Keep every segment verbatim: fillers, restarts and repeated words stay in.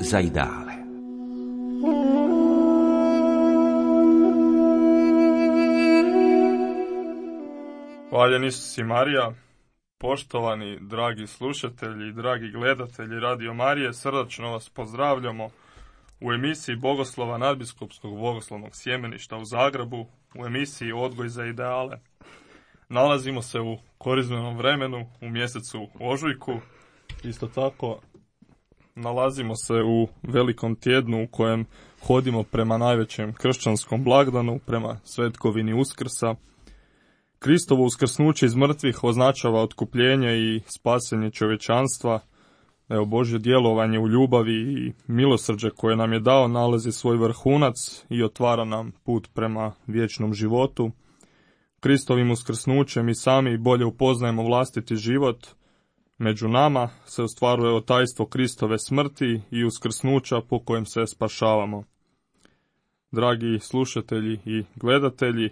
za ideale. Hvaljen Isus i Marija, poštovani dragi slušatelji i dragi gledatelji Radio Marije, srdačno vas pozdravljamo u emisiji Bogoslova nadbiskupskog bogoslovnog sjemeništa u Zagrebu, u emisiji Odgoj za ideale. Nalazimo se u korizmenom vremenu, u mjesecu ožujku. Isto tako nalazimo se u velikom tjednu u kojem hodimo prema najvećem kršćanskom blagdanu, prema svetkovini Uskrsa. Kristovo uskrsnuće iz mrtvih označava otkupljenje i spasenje čovječanstva. Evo, Božje djelovanje u ljubavi i milosrđe koje nam je dao nalazi svoj vrhunac i otvara nam put prema vječnom životu. Kristovim uskrsnućem mi sami bolje upoznajemo vlastiti život. Među nama se ostvaruje tajstvo Kristove smrti i uskrsnuća po kojem se spašavamo. Dragi slušatelji i gledatelji,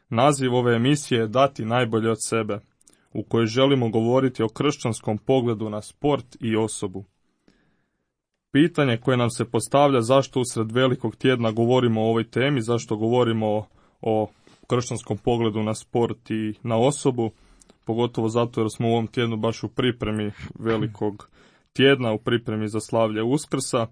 naziv ove emisije je Dati najbolje od sebe, u kojoj želimo govoriti o kršćanskom pogledu na sport i osobu. Pitanje koje nam se postavlja zašto usred velikog tjedna govorimo o ovoj temi, zašto govorimo o, o kršćanskom pogledu na sport i na osobu, pogotovo zato jer smo u ovom tjednu baš u pripremi velikog tjedna, u pripremi za slavlje Uskrsa,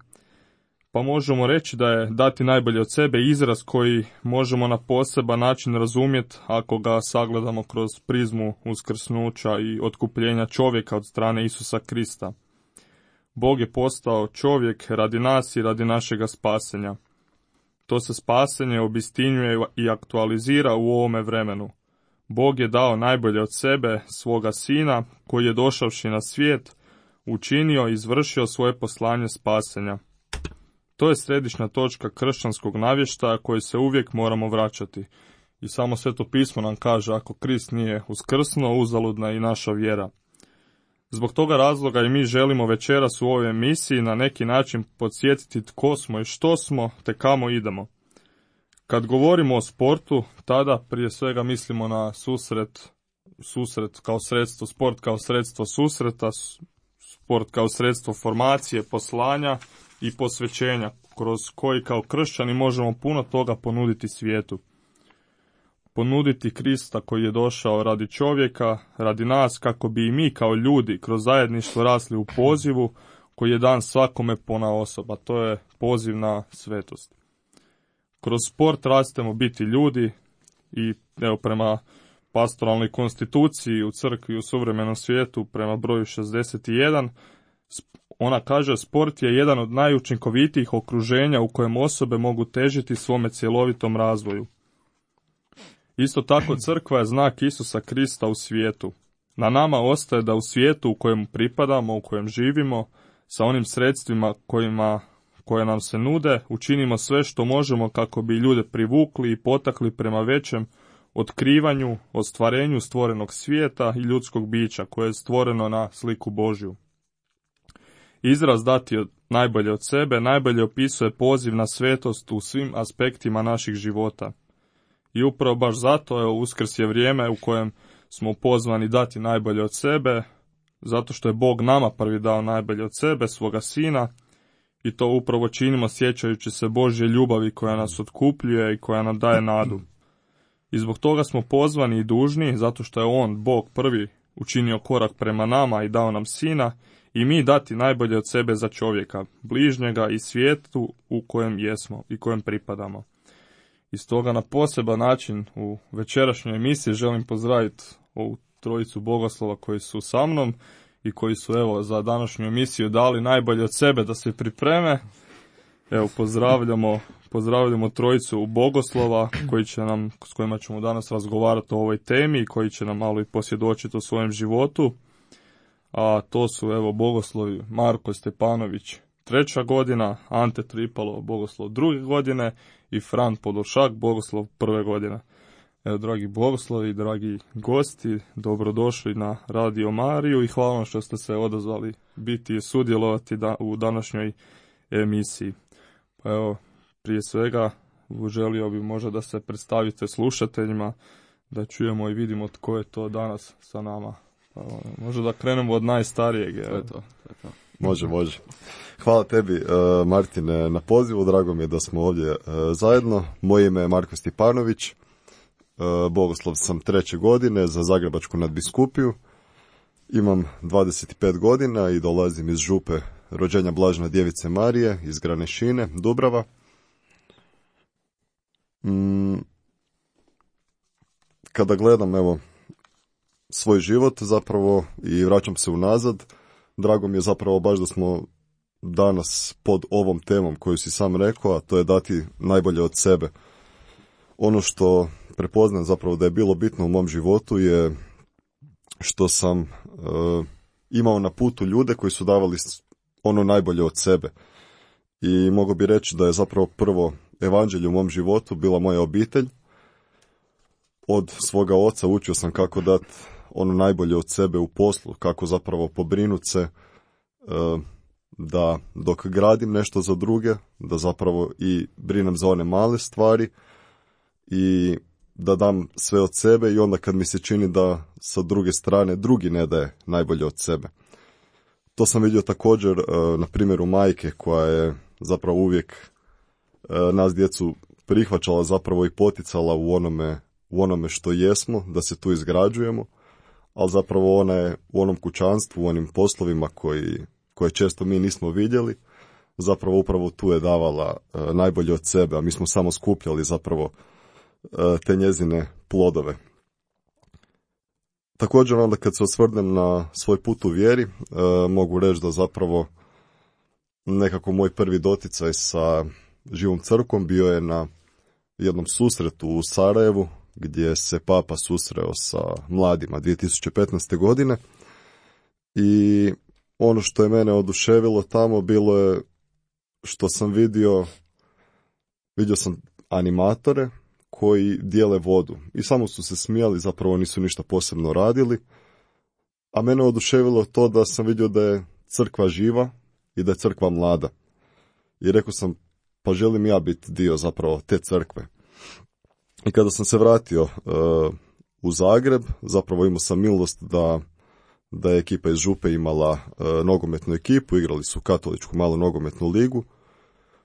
pa možemo reći da je dati najbolje od sebe izraz koji možemo na poseban način razumjeti ako ga sagledamo kroz prizmu uskrsnuća i otkupljenja čovjeka od strane Isusa Krista. Bog je postao čovjek radi nas i radi našega spasenja. To se spasenje obistinjuje i aktualizira u ovome vremenu. Bog je dao najbolje od sebe, svoga sina, koji je došavši na svijet, učinio i izvršio svoje poslanje spasenja. To je središnja točka kršćanskog navještaja koje se uvijek moramo vraćati. I samo Sveto pismo nam kaže, ako Krist nije uskrsnuo, uzaludna je i naša vjera. Zbog toga razloga i mi želimo večeras u ovoj emisiji na neki način podsjetiti tko smo i što smo, te kamo idemo. Kad govorimo o sportu, tada prije svega mislimo na susret, susret kao sredstvo, sport kao sredstvo susreta, sport kao sredstvo formacije, poslanja i posvećenja, kroz koji kao kršćani možemo puno toga ponuditi svijetu. Ponuditi Krista koji je došao radi čovjeka, radi nas, kako bi i mi kao ljudi kroz zajedništvo rasli u pozivu koji je dan svakome ponaosob, a to je poziv na svetost. Kroz sport rastemo biti ljudi i evo prema pastoralnoj konstituciji u crkvi u suvremenom svijetu prema broju šezdeset jedan, ona kaže sport je jedan od najučinkovitijih okruženja u kojem osobe mogu težiti svome cjelovitom razvoju. Isto tako crkva je znak Isusa Krista u svijetu. Na nama ostaje da u svijetu u kojem pripadamo, u kojem živimo, sa onim sredstvima kojima, koje nam se nude, učinimo sve što možemo kako bi ljude privukli i potakli prema većem otkrivanju, ostvarenju stvorenog svijeta i ljudskog bića koje je stvoreno na sliku Božju. Izraz dati od, najbolje od sebe najbolje opisuje poziv na svetost u svim aspektima naših života. I upravo baš zato je Uskrs je vrijeme u kojem smo pozvani dati najbolje od sebe, zato što je Bog nama prvi dao najbolje od sebe, svoga sina, i to upravo činimo sjećajući se Božje ljubavi koja nas otkupljuje i koja nam daje nadu. I zbog toga smo pozvani i dužni, zato što je On, Bog prvi, učinio korak prema nama i dao nam sina, i mi dati najbolje od sebe za čovjeka, bližnjega i svijetu u kojem jesmo i kojem pripadamo. I stoga na poseban način u večerašnjoj emisiji želim pozdraviti ovu trojicu bogoslova koji su sa mnom i koji su evo za današnju emisiju dali najbolje od sebe da se pripreme. Evo pozdravljamo, pozdravljamo trojicu bogoslova koji će nam, s kojima ćemo danas razgovarati o ovoj temi i koji će nam malo i posvjedočiti o svojem životu. A to su evo bogoslovi Marko Stepanović treća godina, Ante Tripalo bogoslov druge godine i Fran Podolšak bogoslov prve godine. Evo, dragi bogoslovi, dragi gosti, dobrodošli na Radio Mariju i hvala vam što ste se odazvali biti i sudjelovati da, u današnjoj emisiji. Pa evo, prije svega želio bi možda da se predstavite slušateljima, da čujemo i vidimo tko je to danas sa nama. Pa, možda da krenemo od najstarijeg. To je to, to je to. Može, može. Hvala tebi, uh, Martine, na pozivu. Drago mi je da smo ovdje uh, zajedno. Moje ime je Marko Stipanović. Uh, Bogoslov sam treće godine za Zagrebačku nadbiskupiju. Imam dvadeset pet godina i dolazim iz župe rođenja Blažene Djevice Marije iz Granešine, Dubrava. Mm, kada gledam, evo, svoj život zapravo i vraćam se unazad, drago mi je zapravo baš da smo danas pod ovom temom koju si sam rekao, a to je dati najbolje od sebe. Ono što prepoznajem zapravo da je bilo bitno u mom životu je što sam uh, imao na putu ljude koji su davali ono najbolje od sebe. I mogu bi reći da je zapravo prvo evanđelje u mom životu bila moja obitelj. Od svoga oca učio sam kako dati ono najbolje od sebe u poslu, kako zapravo pobrinuti se uh, da dok gradim nešto za druge, da zapravo i brinem za one male stvari i da dam sve od sebe i onda kad mi se čini da sa druge strane drugi ne daje najbolje od sebe. To sam vidio također uh, na primjeru majke koja je zapravo uvijek uh, nas djecu prihvaćala zapravo i poticala u onome, u onome što jesmo, da se tu izgrađujemo, ali zapravo ona je u onom kućanstvu, u onim poslovima koji, koje često mi nismo vidjeli, zapravo upravo tu je davala uh, najbolje od sebe, a mi smo samo skupljali zapravo uh, te njezine plodove. Također onda kad se osvrnem na svoj put u vjeri, uh, mogu reći da zapravo nekako moj prvi doticaj sa živom crkvom bio je na jednom susretu u Sarajevu, gdje se Papa susreo sa mladima dvije tisuće petnaeste. godine i ono što je mene oduševilo tamo bilo je što sam vidio, vidio sam animatore koji dijele vodu i samo su se smijali, zapravo nisu ništa posebno radili, a mene oduševilo to da sam vidio da je crkva živa i da je crkva mlada. I rekao sam, pa želim ja biti dio zapravo te crkve. I kada sam se vratio uh, u Zagreb, zapravo imao sam milost da, da je ekipa iz župe imala uh, nogometnu ekipu, igrali su katoličku malu nogometnu ligu.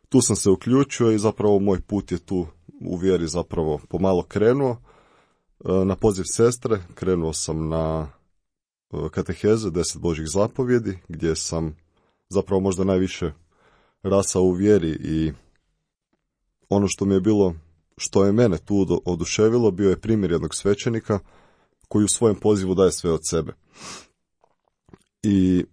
Tu sam se uključio i zapravo moj put je tu u vjeri zapravo pomalo krenuo. Uh, na poziv sestre krenuo sam na uh, kateheze deset Božjih zapovjedi, gdje sam zapravo možda najviše rasao u vjeri i ono što mi je bilo, što je mene tu oduševilo, bio je primjer jednog svećenika koji u svojem pozivu daje sve od sebe. I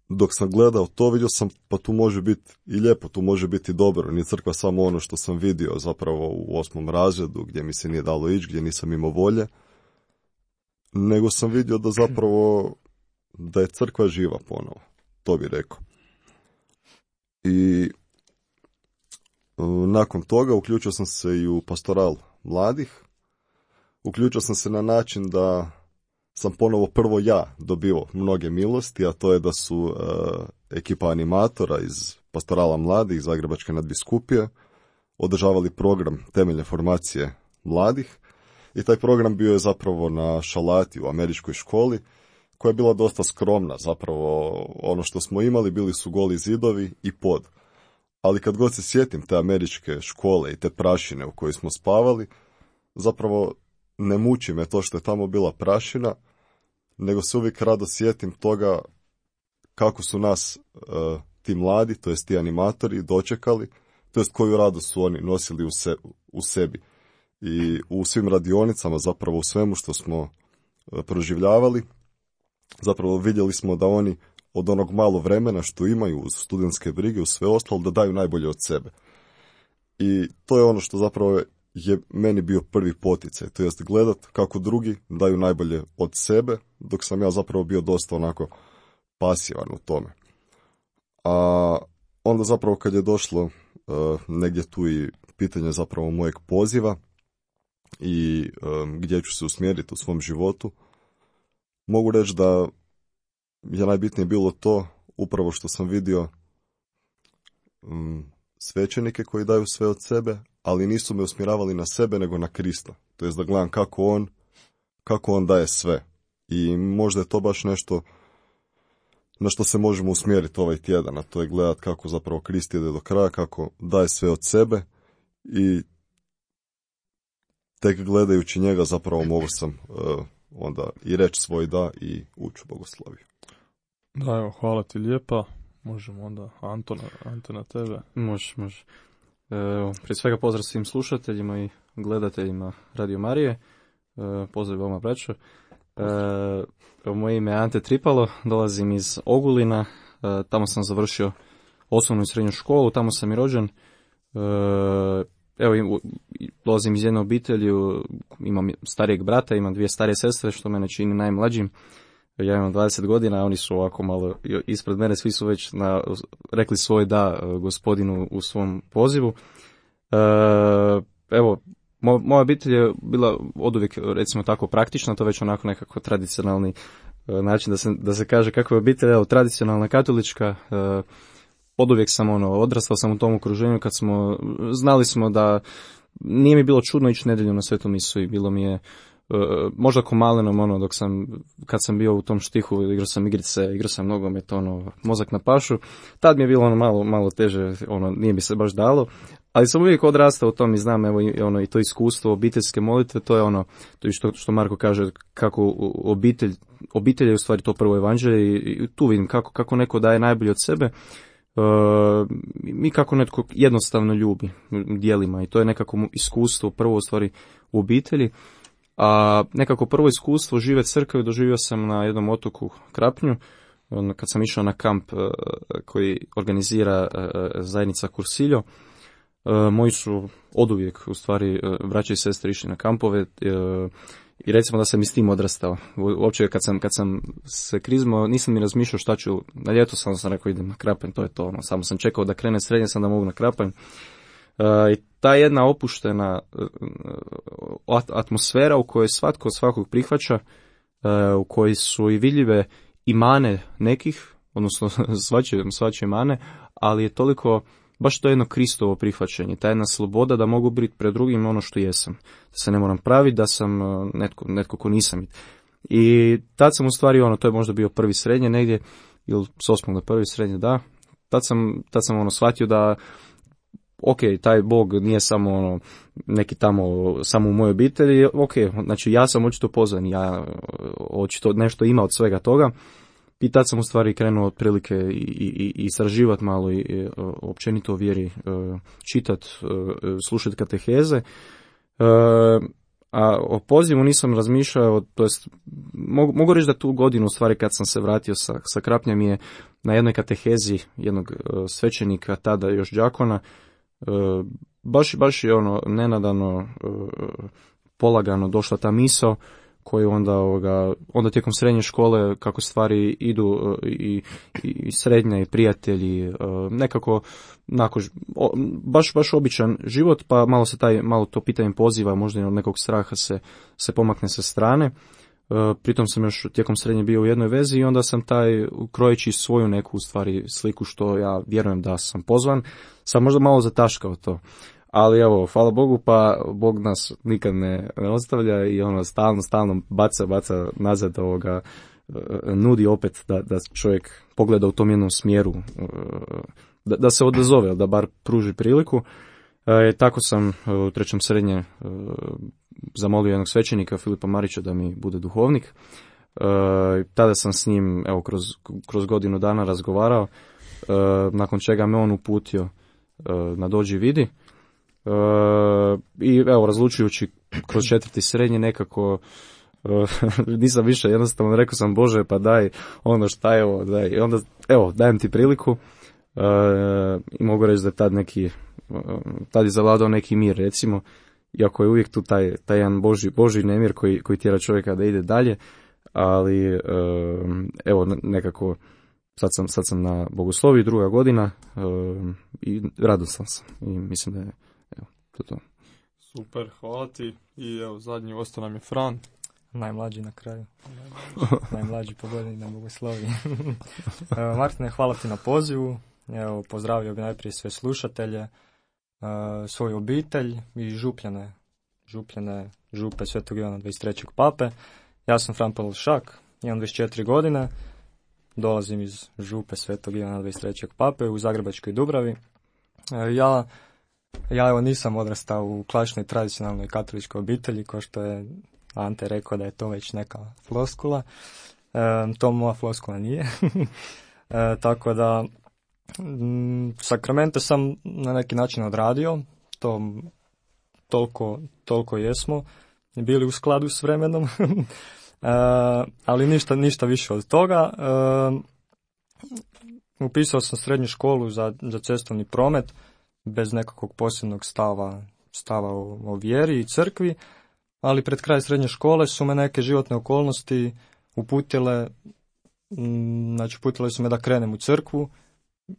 dok sam gledao to, vidio sam, pa tu može biti i lijepo, tu može biti dobro. Nije crkva samo ono što sam vidio zapravo u osmom razredu, gdje mi se nije dalo ići, gdje nisam imao volje, nego sam vidio da zapravo da je crkva živa ponovo, to bi rekao. I nakon toga uključio sam se i u pastoral mladih. Uključio sam se na način da sam ponovo prvo ja dobio mnoge milosti, a to je da su uh, ekipa animatora iz pastorala mladih iz Zagrebačke nadbiskupije održavali program temeljne formacije mladih i taj program bio je zapravo na šalati u američkoj školi koja je bila dosta skromna. Zapravo ono što smo imali bili su goli zidovi i pod. Ali kad god se sjetim te američke škole i te prašine u kojoj smo spavali, zapravo ne muči me to što je tamo bila prašina, nego se uvijek rado sjetim toga kako su nas uh, ti mladi, to jest ti animatori, dočekali, to jest koju radost su oni nosili u, se, u sebi. I u svim radionicama, zapravo u svemu što smo uh, proživljavali, zapravo vidjeli smo da oni od onog malo vremena što imaju uz studentske brige, uz sve ostalo, da daju najbolje od sebe. I to je ono što zapravo je meni bio prvi poticaj, to jest gledat kako drugi daju najbolje od sebe, dok sam ja zapravo bio dosta onako pasivan u tome. A onda zapravo kad je došlo uh, negdje tu i pitanje zapravo mojeg poziva i um, gdje ću se usmjeriti u svom životu, mogu reći da je najbitnije bilo to upravo što sam vidio um, svećenike koji daju sve od sebe, ali nisu me usmjeravali na sebe nego na Krista. To jest da gledam kako on, kako on daje sve. I možda je to baš nešto na što se možemo usmjeriti ovaj tjedan, a to je gledati kako zapravo Krist ide do kraja, kako daje sve od sebe i tek gledajući njega zapravo mogu sam uh, onda i reći svoj da i ući u bogosloviju. Da, evo, hvala ti lijepa. Možemo onda Antona, Antona tebe. Može, može. E, prije svega pozdrav svim slušateljima i gledateljima Radio Marije. E, pozdrav vama, braćo. E, moje ime je Ante Tripalo, dolazim iz Ogulina. E, tamo sam završio osnovnu i srednju školu, tamo sam i rođen. E, evo, dolazim iz jedne obitelji, imam starijeg brata, imam dvije starije sestre, što mene čini najmlađim. Ja imam dvadeset godina, a oni su ovako malo ispred mene, svi su već na, rekli svoj da gospodinu u svom pozivu. E, evo, mo, moja obitelj je bila oduvijek, recimo tako, praktična, to već onako nekako tradicionalni e, način da se, da se kaže kako je obitelj, evo, tradicionalna katolička. E, oduvijek sam ono, odrastao sam u tom okruženju kad smo, znali smo da nije mi bilo čudno ići nedjelju na svetu misu i bilo mi je možda ko malenom, ono, dok sam, kad sam bio u tom štihu, igrao sam igrice, igrao sam nogomet, ono, mozak na pašu, tad mi je bilo ono malo, malo teže, ono, nije mi se baš dalo, ali sam uvijek odrastao u tom i znam, evo, i, ono, i to iskustvo obiteljske molitve, to je ono, to je što, što Marko kaže, kako obitelj, obitelj je u stvari to prvo evanđelje i, i tu vidim kako, kako neko daje najbolje od sebe, Uh, mi kako netko jednostavno ljubi dijelima i to je nekako iskustvo prvo u stvari u obitelji. A nekako prvo iskustvo žive crkve doživio sam na jednom otoku Krapnju, kad sam išao na kamp koji organizira zajednica Kursiljo. Moji su oduvijek, u stvari, braća i sestre išli na kampove i recimo da sam i s tim odrastao. Uopće kad sam, kad sam se krizmao, nisam ni razmišljao šta ću, na ljeto sam, sam rekao idem na Krapanj, to je to, ono, samo sam čekao da krene srednje, sam da mogu na Krapanj. I ta jedna opuštena atmosfera u kojoj svatko svakog prihvaća, u kojoj su i vidljive i mane nekih, odnosno svačije, svačije mane, ali je toliko, baš to jedno Kristovo prihvaćanje, ta jedna sloboda da mogu biti pred drugim ono što jesam, da se ne moram praviti, da sam netko, netko ko nisam. I tad sam u stvari, ono, to je možda bio prvi srednje negdje, ili s osmog do prvi srednje, da, tad sam, tad sam ono shvatio da ok, taj Bog nije samo ono, neki tamo, samo u mojoj obitelji, ok, znači ja sam očito pozvan, ja očito nešto ima od svega toga i tad sam u stvari krenuo otprilike i, i, i istraživati malo i, i općenito o vjeri, čitati, slušati kateheze, a o pozivu nisam razmišljao, to jest, mogu, mogu reći da tu godinu u stvari kad sam se vratio sa, sa Krapnja mi je na jednoj katehezi jednog svećenika, tada još đakona, Uh, baš, baš je ono nenadano, uh, polagano došla ta misao koju onda, ovoga, onda tijekom srednje škole kako stvari idu uh, i, i srednja i prijatelji, uh, nekako nako, o, baš, baš običan život, pa malo se taj, malo to pitanje poziva, možda i od nekog straha se, se pomakne sa strane. Uh, pritom sam još tijekom srednje bio u jednoj vezi i onda sam taj, krojeći svoju neku stvari sliku što ja vjerujem da sam pozvan, sam možda malo zataškao to. Ali evo, hvala Bogu, pa Bog nas nikad ne, ne ostavlja i ono stalno, stalno baca, baca nazad ovoga, uh, nudi opet da, da čovjek pogleda u tom jednom smjeru, uh, da, da se odazove, da bar pruži priliku. Uh, tako sam uh, u trećem srednje uh, zamolio jednog svećenika, Filipa Marića, da mi bude duhovnik. E, tada sam s njim, evo, kroz, kroz godinu dana razgovarao, e, nakon čega me on uputio e, na dođi vidi. E, I evo, razlučujući kroz četvrti srednje nekako, e, nisam više, jednostavno rekao sam, Bože, pa daj, ono šta je ovo, daj. I onda, evo, dajem ti priliku. E, I mogu reći da je tad neki, tad je zavladao neki mir, recimo, iako je uvijek tu taj, taj jedan Boži, Boži nemir koji, koji tjera čovjeka da ide dalje, ali evo nekako sad sam, sad sam na bogosloviji druga godina i radostan sam i mislim da je evo, to to. Super, hvala ti i evo zadnji ostao nam je Fran. Najmlađi na kraju. Najmlađi po godini na bogosloviji. Martine, hvala ti na pozivu. Evo, pozdravio bi najprije sve slušatelje, svoju obitelj i župljane, župljane župe Svetog Ivana dvadeset trećeg pape. Ja sam Fran Pavlšak, imam dvadeset četiri godine, dolazim iz župe Svetog Ivana dvadeset trećeg Pape u Zagrebačkoj Dubravi. Ja, ja evo nisam odrastao u klasičnoj tradicionalnoj katoličkoj obitelji, kao što je Ante rekao da je to već neka floskula. E, to moja floskula nije. e, tako da m, sakramente sam na neki način odradio, to toliko, toliko jesmo bili u skladu s vremenom, e, ali ništa, ništa više od toga. E, upisao sam srednju školu za, za cestovni promet bez nekakvog posebnog stava, stava o, o vjeri i crkvi, ali pred kraj srednje škole su me neke životne okolnosti uputile, m, znači uputile su me da krenem u crkvu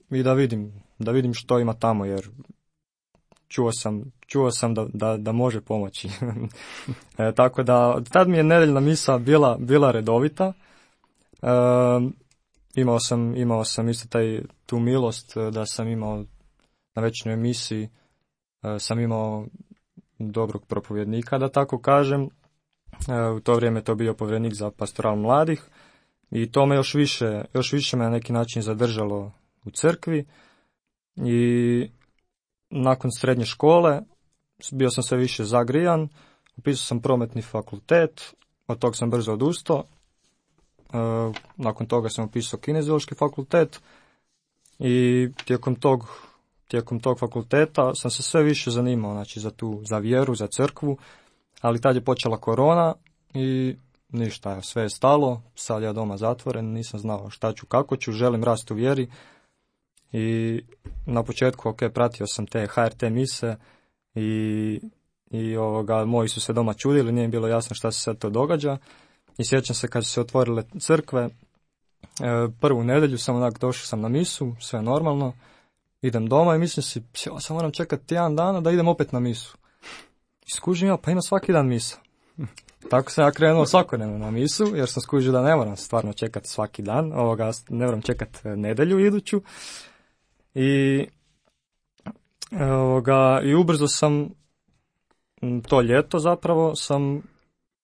i da vidim, da vidim što ima tamo, jer čuo sam, čuo sam da, da, da može pomoći. e, tako da, tad mi je nedeljna misa bila, bila redovita. E, imao sam, imao sam isto taj, tu milost da sam imao na večernjoj misiji, e, sam imao dobrog propovjednika, da tako kažem. E, u to vrijeme to bio povjerenik za pastoral mladih i to me još više, još više me na neki način zadržalo u crkvi i nakon srednje škole bio sam sve više zagrijan, upisao sam prometni fakultet, od toga sam brzo odustao, e, nakon toga sam upisao kineziološki fakultet i tijekom tog, tijekom tog fakulteta sam se sve više zanimao, znači za tu, za vjeru, za crkvu, ali tad je počela korona i ništa, sve je stalo, sad ja doma zatvoren, nisam znao šta ću, kako ću, želim rasti u vjeri. I na početku, ok, pratio sam te H R T mise i, i ovoga, moji su se doma čudili, nije bilo jasno šta se sad to događa. I sjećam se kad su se otvorile crkve, e, prvu nedjelju sam onak došao sam na misu, sve normalno, idem doma i mislim si, ja sam moram čekati tjedan dana da idem opet na misu. I skužim ja, pa ima svaki dan misa. Tako sam ja krenuo svakodnevno na misu, jer sam skužio da ne moram stvarno čekati svaki dan, ovoga, ne moram čekati nedjelju iduću. I, ovoga, i ubrzo sam, to ljeto zapravo, sam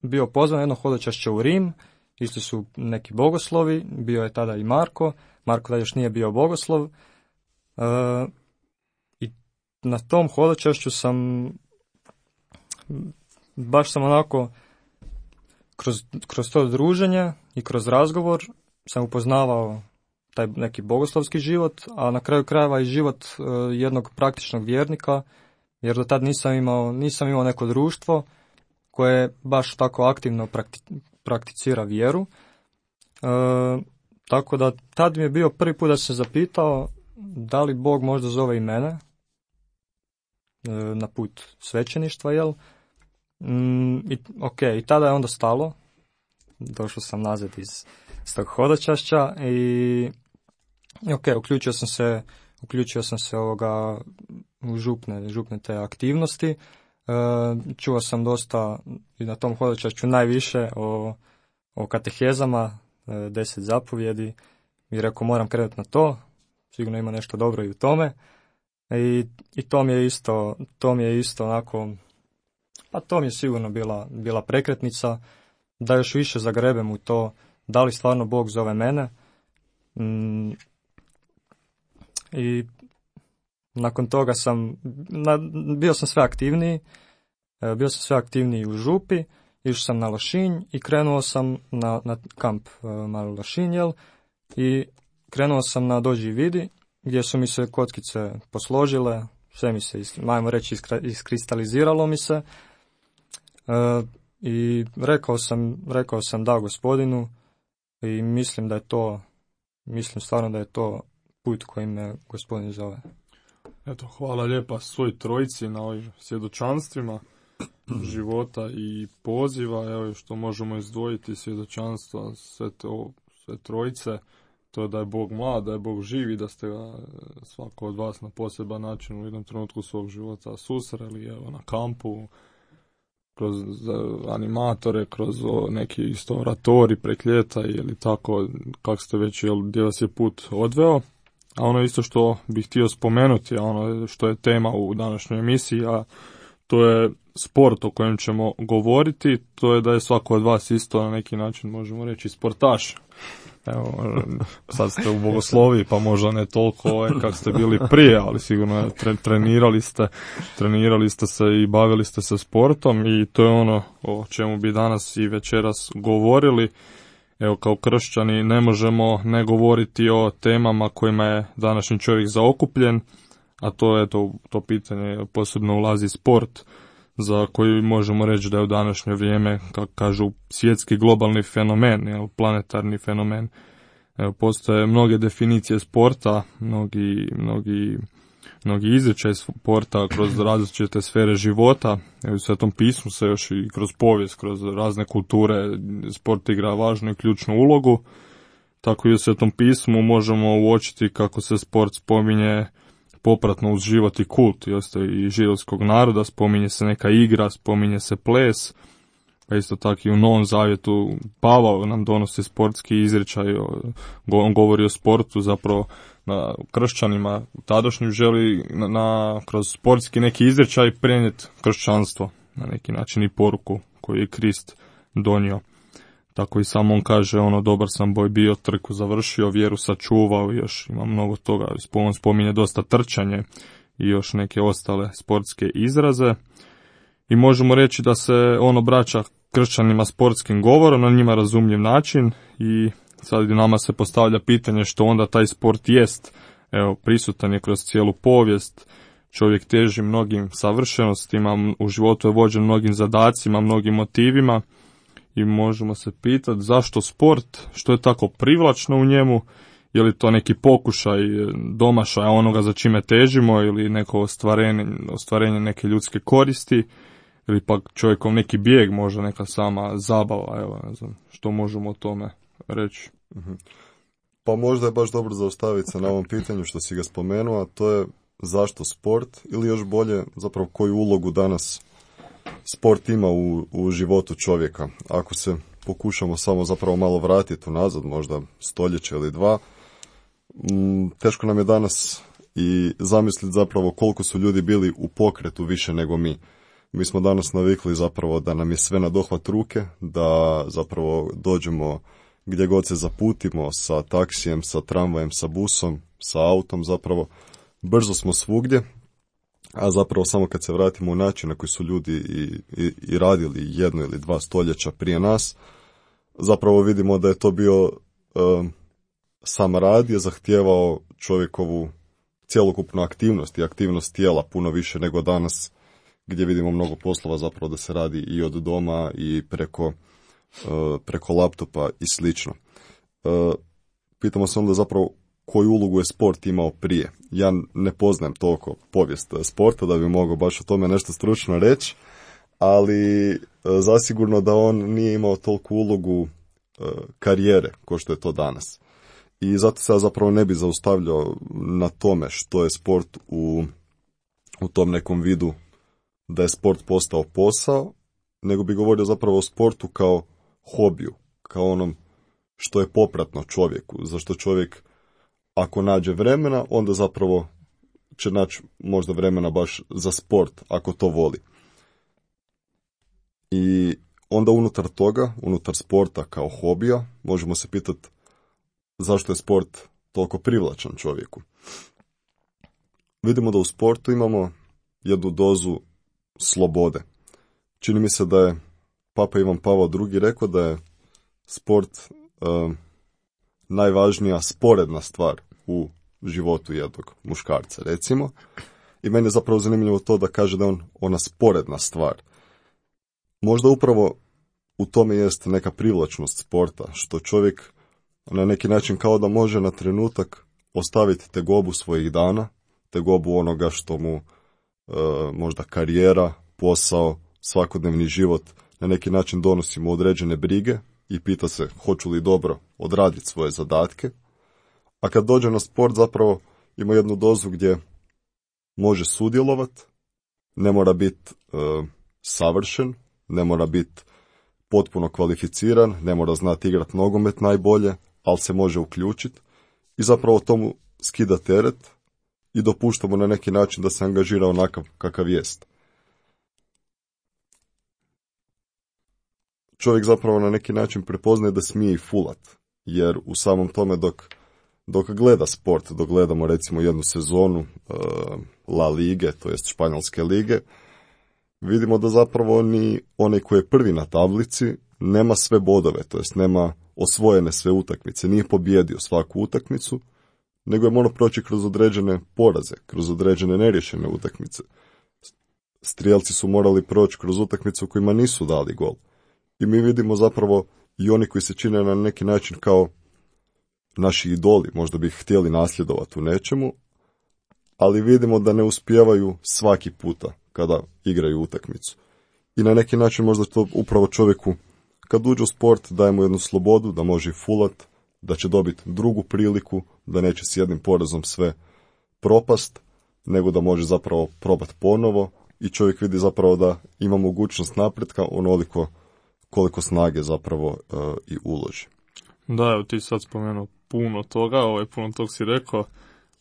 bio pozvan jedno hodočašće u Rim, isto su neki bogoslovi, bio je tada i Marko, Marko da još nije bio bogoslov, e, i na tom hodočašću sam, baš sam onako, kroz, kroz to druženje i kroz razgovor sam upoznavao taj neki bogoslovski život, a na kraju krajeva i život uh, jednog praktičnog vjernika, jer do tad nisam imao, nisam imao neko društvo koje baš tako aktivno prakti, prakticira vjeru. Uh, tako da tad mi je bio prvi put da se zapitao da li Bog možda zove i mene uh, na put svećeništva, jel? Mm, i, ok, i tada je onda stalo. Došao sam nazad iz, iz tog hodočašća i ok, uključio sam se, uključio sam se ovoga u župne, župne te aktivnosti. E, čuo sam dosta i na tom hodočašću najviše o, o katehezama, e, deset zapovjedi i rekao moram krenuti na to, sigurno ima nešto dobro i u tome. I, i to mi je isto, to mi je isto onako, pa to mi je sigurno bila, bila prekretnica da još više zagrebem u to da li stvarno Bog zove mene. Mm, I nakon toga sam, na, bio sam sve aktivniji, bio sam sve aktivniji u župi, išao sam na Lošinj i krenuo sam na, na kamp Mali Lošinj, jel? I krenuo sam na Dođi i vidi, gdje su mi se kockice posložile, sve mi se, majmo reći, iskristaliziralo mi se. E, I rekao sam, rekao sam da Gospodinu i mislim da je to, mislim stvarno da je to put kojim me Gospodin zove. Eto, hvala lijepa svoj trojici na ovim svjedočanstvima života i poziva, evo što možemo izdvojiti svjedočanstva sve, to, sve trojice, to je da je Bog mlad, da je Bog živ i da ste ga svako od vas na poseban način u jednom trenutku svog života susreli, evo na kampu, kroz animatore, kroz neki isto oratori prek ljeta ili tako, kako ste već, jel, gdje vas je put odveo. A ono isto što bih htio spomenuti, a ono što je tema u današnjoj emisiji, a to je sport o kojem ćemo govoriti, to je da je svako od vas isto na neki način, možemo reći, sportaš. Evo, sad ste u bogosloviji, pa možda ne toliko ovaj, kako ste bili prije, ali sigurno tre, trenirali ste, trenirali ste se i bavili ste se sportom i to je ono o čemu bi danas i večeras govorili. Evo, kao kršćani ne možemo ne govoriti o temama kojima je današnji čovjek zaokupljen, a to je to, to pitanje posebno ulazi sport, za koji možemo reći da je u današnje vrijeme, kako kažu, svjetski globalni fenomen, jel, planetarni fenomen. Evo, postoje mnoge definicije sporta, mnogi, mnogi, mnogi izričaj sporta kroz različite sfere života. Evo, u Svetom pismu se još i kroz povijest, kroz razne kulture, sport igra važnu i ključnu ulogu. Tako i u Svetom pismu možemo uočiti kako se sport spominje popratno uz život i kult i ostaje i židovskog naroda, spominje se neka igra, spominje se ples, pa isto tako i u Novom Zavjetu Pavao nam donosi sportski izričaj, on govori o sportu, zapravo na kršćanima tadašnjim želi na, na, kroz sportski neki izričaj prenijeti kršćanstvo, na neki način i poruku koju je Krist donio. Tako i sam on kaže, ono, dobar sam boj bio, trku završio, vjeru sačuvao, još ima mnogo toga, on spominje dosta trčanje i još neke ostale sportske izraze. I možemo reći da se on obraća kršćanima sportskim govorom, na njima razumljiv način i sad nama se postavlja pitanje što onda taj sport jest. Evo, prisutan je kroz cijelu povijest, čovjek teži mnogim savršenostima, u životu je vođen mnogim zadacima, mnogim motivima. I možemo se pitati zašto sport, što je tako privlačno u njemu, je li to neki pokušaj domašaja onoga za čime težimo ili neko ostvarenje, ostvarenje neke ljudske koristi, ili pak čovjekom neki bijeg, možda neka sama zabava, evo, ne znam, što možemo o tome reći. Pa možda je baš dobro zaustaviti se na ovom pitanju što si ga spomenuo, a to je zašto sport ili još bolje zapravo koju ulogu danas sport ima u, u životu čovjeka. Ako se pokušamo samo zapravo malo vratiti unazad, možda stoljeće ili dva, m, teško nam je danas i zamisliti zapravo koliko su ljudi bili u pokretu više nego mi. Mi smo danas navikli zapravo da nam je sve na dohvat ruke, da zapravo dođemo gdje god se zaputimo sa taksijem, sa tramvajem, sa busom, sa autom, zapravo brzo smo svugdje. A zapravo samo kad se vratimo u način na koji su ljudi i, i, i radili jedno ili dva stoljeća prije nas, zapravo vidimo da je to bio uh, sam rad je zahtijevao čovjekovu cjelokupnu aktivnost i aktivnost tijela puno više nego danas gdje vidimo mnogo poslova zapravo da se radi i od doma i preko, uh, preko laptopa i slično. Uh, pitamo se onda zapravo koju ulogu je sport imao prije. Ja ne poznajem toliko povijest sporta da bi mogao baš o tome nešto stručno reći, ali zasigurno da on nije imao toliku ulogu karijere kao što je to danas. I zato se ja zapravo ne bi zaustavljao na tome što je sport u, u tom nekom vidu da je sport postao posao, nego bi govorio zapravo o sportu kao hobiju, kao onom što je popratno čovjeku, zašto čovjek ako nađe vremena, onda zapravo će naći možda vremena baš za sport, ako to voli. I onda unutar toga, unutar sporta kao hobija, možemo se pitati zašto je sport toliko privlačan čovjeku. Vidimo da u sportu imamo jednu dozu slobode. Čini mi se da je Papa Ivan Pavao drugi rekao da je sport uh, najvažnija sporedna stvar u životu jednog muškarca, recimo. I meni je zapravo zanimljivo to da kaže da je on ona sporedna stvar. Možda upravo u tome jest neka privlačnost sporta, što čovjek na neki način kao da može na trenutak ostaviti tegobu svojih dana, tegobu onoga što mu e, možda karijera, posao, svakodnevni život na neki način donosi mu određene brige i pita se hoću li dobro odraditi svoje zadatke. A kad dođe na sport zapravo ima jednu dozu gdje može sudjelovati, ne mora biti e, savršen, ne mora biti potpuno kvalificiran, ne mora znati igrati nogomet najbolje, ali se može uključiti i zapravo tomu skida teret i dopuštamo na neki način da se angažira onakav kakav jest. čovjek zapravo na neki način prepoznaje da smije i fulat, jer u samom tome dok, dok gleda sport, dok gledamo recimo jednu sezonu uh, La Lige, to jest španjolske lige, vidimo da zapravo ni onaj koji je prvi na tablici nema sve bodove, to jest nema osvojene sve utakmice, nije pobjedio svaku utakmicu, nego je morao proći kroz određene poraze, kroz određene neriješene utakmice. Strijelci su morali proći kroz utakmice u kojima nisu dali gol. I mi vidimo zapravo i oni koji se čine na neki način kao naši idoli, možda bi htjeli nasljedovati u nečemu, ali vidimo da ne uspijevaju svaki puta kada igraju utakmicu. I na neki način možda to upravo čovjeku, kad uđe u sport, daje mu jednu slobodu, da može fulat, da će dobiti drugu priliku, da neće s jednim porazom sve propast, nego da može zapravo probati ponovo i čovjek vidi zapravo da ima mogućnost napretka onoliko koliko snage zapravo uh, i uloži. Da, evo ti sad spomenuo puno toga, ovaj, puno tog si rekao,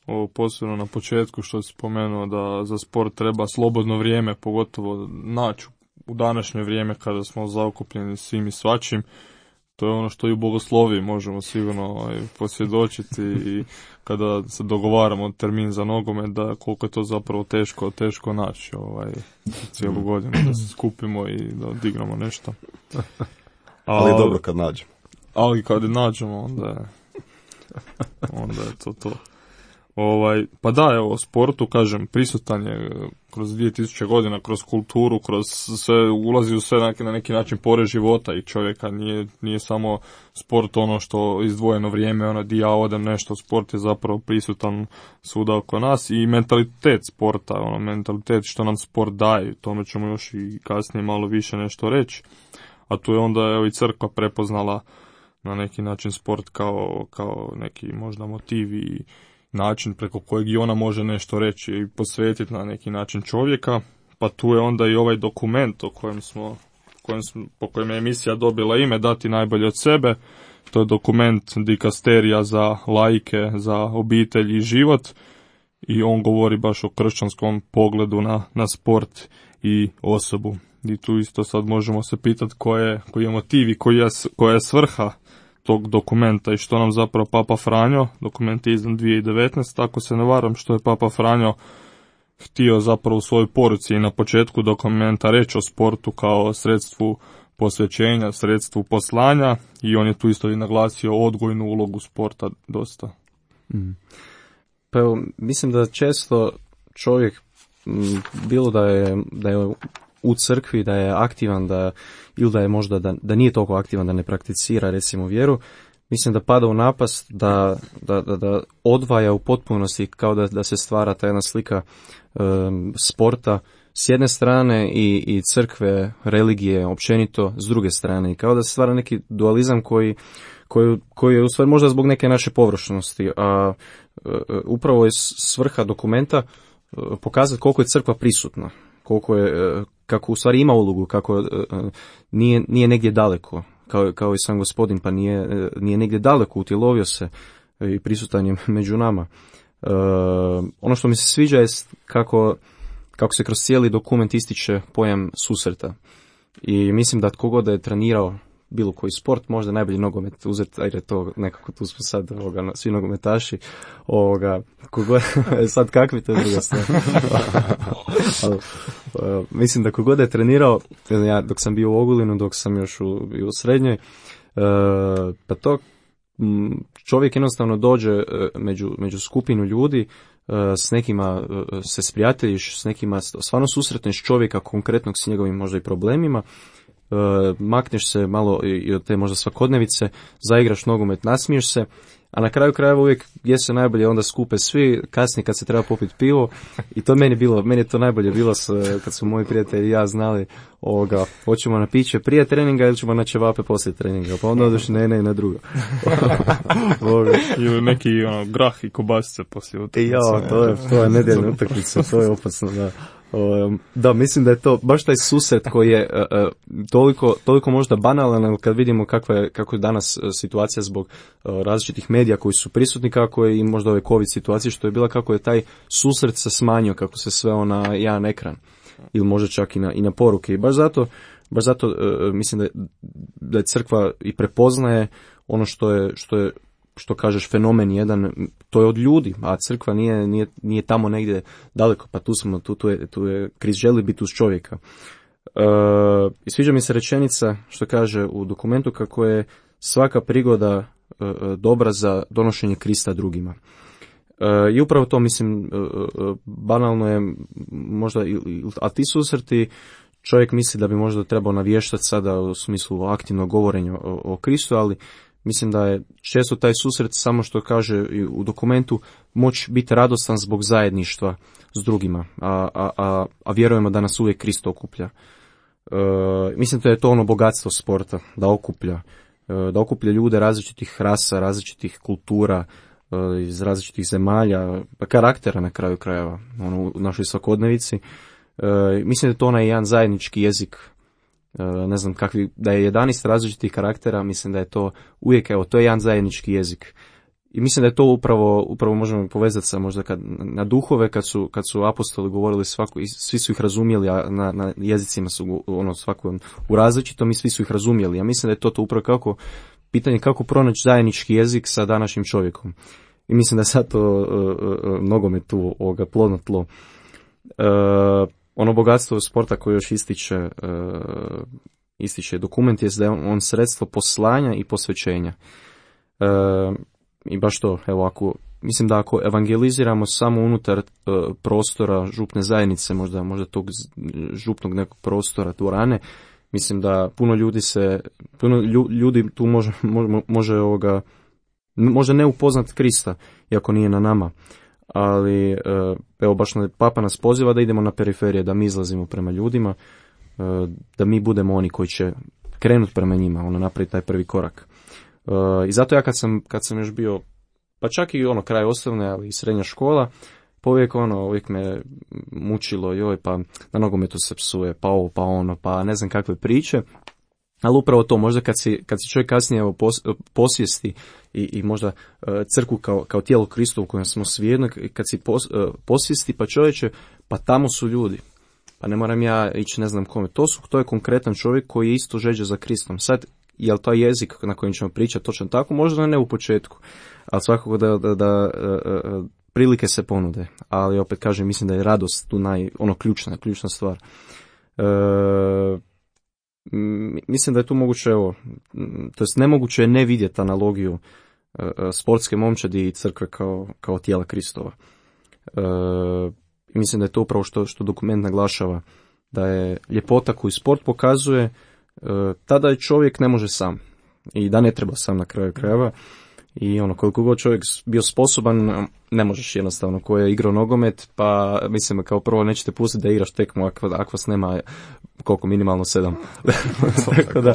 ovo posebno na početku što si spomenuo da za sport treba slobodno vrijeme, pogotovo naći u današnje vrijeme kada smo zaokupljeni svim i svačim. To je ono što i u bogosloviji možemo sigurno ovaj, posvjedočiti i kada se dogovaramo termin za nogomet, da koliko je to zapravo teško, teško naći ovaj, cijelu godinu, da se skupimo i da odigramo nešto. Ali, ali dobro kad nađemo. Ali kad nađemo, onda je, onda je to to. Ovaj, pa da, evo, sportu, kažem, prisutan je kroz dvije tisuće godina, kroz kulturu, kroz sve, ulazi u sve na neki, na neki način pore života i čovjeka, nije, nije samo sport ono što izdvojeno vrijeme, ono di ja odem nešto, sport je zapravo prisutan svuda oko nas i mentalitet sporta, ono, mentalitet što nam sport daje, tome ćemo još i kasnije malo više nešto reći, a tu je onda, evo, i crkva prepoznala na neki način sport kao, kao neki možda motiv i način preko kojeg i ona može nešto reći i posvetiti na neki način čovjeka, pa tu je onda i ovaj dokument o kojem smo, kojem smo, po kojem je emisija dobila ime Dati najbolje od sebe. To je dokument dikasterija za laike, za obitelj i život i on govori baš o kršćanskom pogledu na, na sport i osobu. I tu isto sad možemo se pitati koje, koji je motiv i koja je, koja je svrha tog dokumenta i što nam zapravo Papa Franjo, dokument je izdan dvije tisuće devetnaeste, tako se ne varam, što je Papa Franjo htio zapravo u svojoj poruci i na početku dokumenta reći o sportu kao sredstvu posvećenja, sredstvu poslanja i on je tu isto i naglasio odgojnu ulogu sporta dosta. Mm. Pa evo, mislim da često čovjek, bilo da je, da je u crkvi, da je aktivan, da, ili da je možda da, da nije toliko aktivan, da ne prakticira recimo vjeru, mislim da pada u napast da, da, da, da odvaja u potpunosti, kao da, da se stvara ta jedna slika um, sporta s jedne strane i, i crkve, religije općenito s druge strane, i kao da se stvara neki dualizam koji, koji, koji je u stvari možda zbog neke naše površnosti, a uh, upravo je svrha dokumenta uh, pokazati koliko je crkva prisutna, koliko je, kako u stvari ima ulogu, kako nije, nije negdje daleko, kao, kao i sam gospodin, pa nije, nije negdje daleko, utjelovio se i prisutan je među nama. E, ono što mi se sviđa je kako, kako se kroz cijeli dokument ističe pojam susreta. I mislim da tko god da je trenirao bilo koji sport, možda najbolji nogomet uzeti, ajde to nekako tu smo sad ovoga, svi nogometaši, ovoga, kogod, sad kakvi to je druga stvar. Ali, uh, mislim da kogod je trenirao, ja dok sam bio u Ogulinu, dok sam još u, bio u srednjoj, uh, pa to m, čovjek jednostavno dođe uh, među, među skupinu ljudi, uh, s nekima uh, se sprijateljiš, s nekima stvarno susretneš čovjeka konkretnog s njegovim možda i problemima, Uh, makneš se malo i od te možda svakodnevice, zaigraš nogomet, nasmiješ se, a na kraju krajeva uvijek gdje se najbolje onda skupe svi, kasnije kad se treba popiti pivo, i to meni bilo, meni je to najbolje bilo s, kad su moji prijatelji i ja znali, ovoga, hoćemo na piće prije treninga ili ćemo na ćevape poslije treninga, pa onda odeš na jedno i na drugo. Ili neki ono, grah i kobasice poslije utakmice. Ja, to je, to je nedjeljna utakmica, to je opasno, da. Um, da, mislim da je to baš taj susret koji je uh, uh, toliko, toliko možda banalan, ali kad vidimo kakva je, kako je danas uh, situacija zbog uh, različitih medija koji su prisutni, kako je i možda ove COVID situacije što je bila, kako je taj susret se smanjio, kako se sve na jedan ekran ili možda čak i na, i na poruke. I baš zato baš zato uh, mislim da je, da je crkva i prepoznaje ono što je, što je, što kažeš fenomen jedan, to je od ljudi, a crkva nije, nije, nije tamo negdje daleko, pa tu smo, tu, tu je, tu je, Krist želi biti uz čovjeka. Uh, I sviđa mi se rečenica što kaže u dokumentu kako je svaka prigoda uh, dobra za donošenje Krista drugima. Uh, I upravo to, mislim, uh, banalno je možda, a ti susreti, čovjek misli da bi možda trebao navještati sada u smislu aktivnog govorenja o, o Kristu, ali mislim da je često taj susret, samo što kaže u dokumentu, moći biti radostan zbog zajedništva s drugima, a, a, a, a vjerujemo da nas uvijek Krist okuplja. Uh, mislim da je to ono bogatstvo sporta, da okuplja, uh, da okuplja ljude različitih rasa, različitih kultura, iz različitih zemalja, pa karaktera na kraju krajeva, ono, u našoj svakodnevici. E, mislim da je to onaj jedan zajednički jezik, e, ne znam kakvi, da je jedanaest različitih karaktera, mislim da je to uvijek, evo, to je jedan zajednički jezik. I mislim da je to upravo, upravo možemo povezati sa možda kad, na duhove, kad su, kad su apostoli govorili svako, svi su ih razumjeli, a na, na jezicima su ono svako u različitom i svi su ih razumjeli. Ja mislim da je to, to upravo kako pitanje kako pronaći zajednički jezik sa današnjim čovjekom. I mislim da je sad to uh, uh, nogome tu ovoga plodno tlo. Uh, ono bogatstvo sporta koje još ističe, uh, ističe dokument je da je on, on sredstvo poslanja i posvećenja. Uh, I baš to, evo, ako, mislim da ako evangeliziramo samo unutar uh, prostora župne zajednice, možda, možda tog župnog nekog prostora, dvorane, mislim da puno ljudi se, puno ljudi tu može, može, može ovoga, može ne upoznat Krista, iako nije na nama, ali evo baš Papa nas poziva da idemo na periferije, da mi izlazimo prema ljudima, da mi budemo oni koji će krenuti prema njima, ono napraviti taj prvi korak. I zato ja kad sam, kad sam još bio, pa čak i ono kraj osnovne, ali i srednja škola, pa uvijek ono, uvijek me mučilo, joj, pa na nogometu se psuje, pa ovo, pa ono, pa ne znam kakve priče, ali upravo to, možda kad si, kad si čovjek kasnije evo, pos, posvijesti i, i možda uh, crkvu kao, kao tijelo Kristovo u kojem smo svi jedno, kad si pos, uh, posvijesti, pa čovječe, pa tamo su ljudi, pa ne moram ja ići ne znam kome, to, su, to je konkretan čovjek koji je isto žeđe za Kristom. Sad, je li taj jezik na kojem ćemo pričati točno tako, možda ne u početku, ali svakako da, da, da uh, uh, prilike se ponude, ali opet kažem, mislim da je radost tu naj, ono ključna, ključna stvar. E, mislim da je tu moguće, evo, to jest nemoguće je ne vidjeti analogiju e, sportske momčadi i crkve kao, kao tijela Kristova. E, mislim da je to upravo što, što dokument naglašava, da je ljepota koju sport pokazuje, e, tada je čovjek ne može sam i da ne treba sam na kraju krajeva. I ono, koliko god čovjek bio sposoban, ne možeš jednostavno, ko je igrao nogomet, pa mislim, kao prvo nećete pustiti da igraš tekmu ako, ako vas nema koliko, minimalno sedam. tako da,